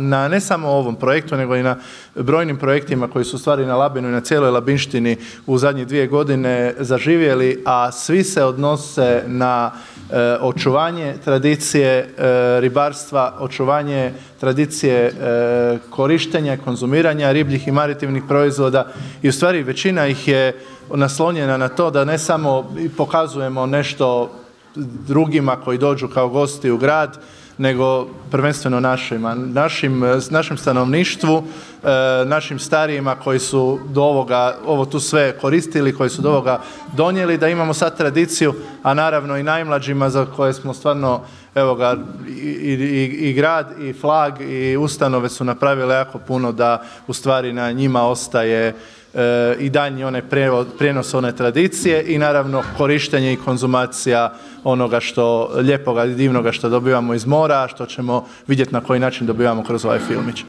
Na ne samo ovom projektu, nego i na brojnim projektima koji su u stvari na Labinu i na cijeloj Labinštini u zadnjih 2 godine zaživjeli, a svi se odnose na očuvanje tradicije ribarstva, očuvanje tradicije korištenja i konzumiranja ribljih i maritimnih proizvoda i u stvari većina ih je naslonjena na to da ne samo pokazujemo nešto drugima koji dođu kao gosti u grad, nego prvenstveno našem stanovništvu, našim starijima koji su do ovoga, ovo tu sve koristili, koji su do ovoga donijeli, da imamo sad tradiciju, a naravno i najmlađima za koje smo stvarno, evo ga, i grad i flag i ustanove su napravile jako puno da u stvari na njima ostaje i daljnji onaj prijenos one tradicije i naravno korištenje i konzumacija onoga što lijepoga i divnoga što dobivamo iz mora, što ćemo vidjeti na koji način dobivamo kroz ovaj filmić.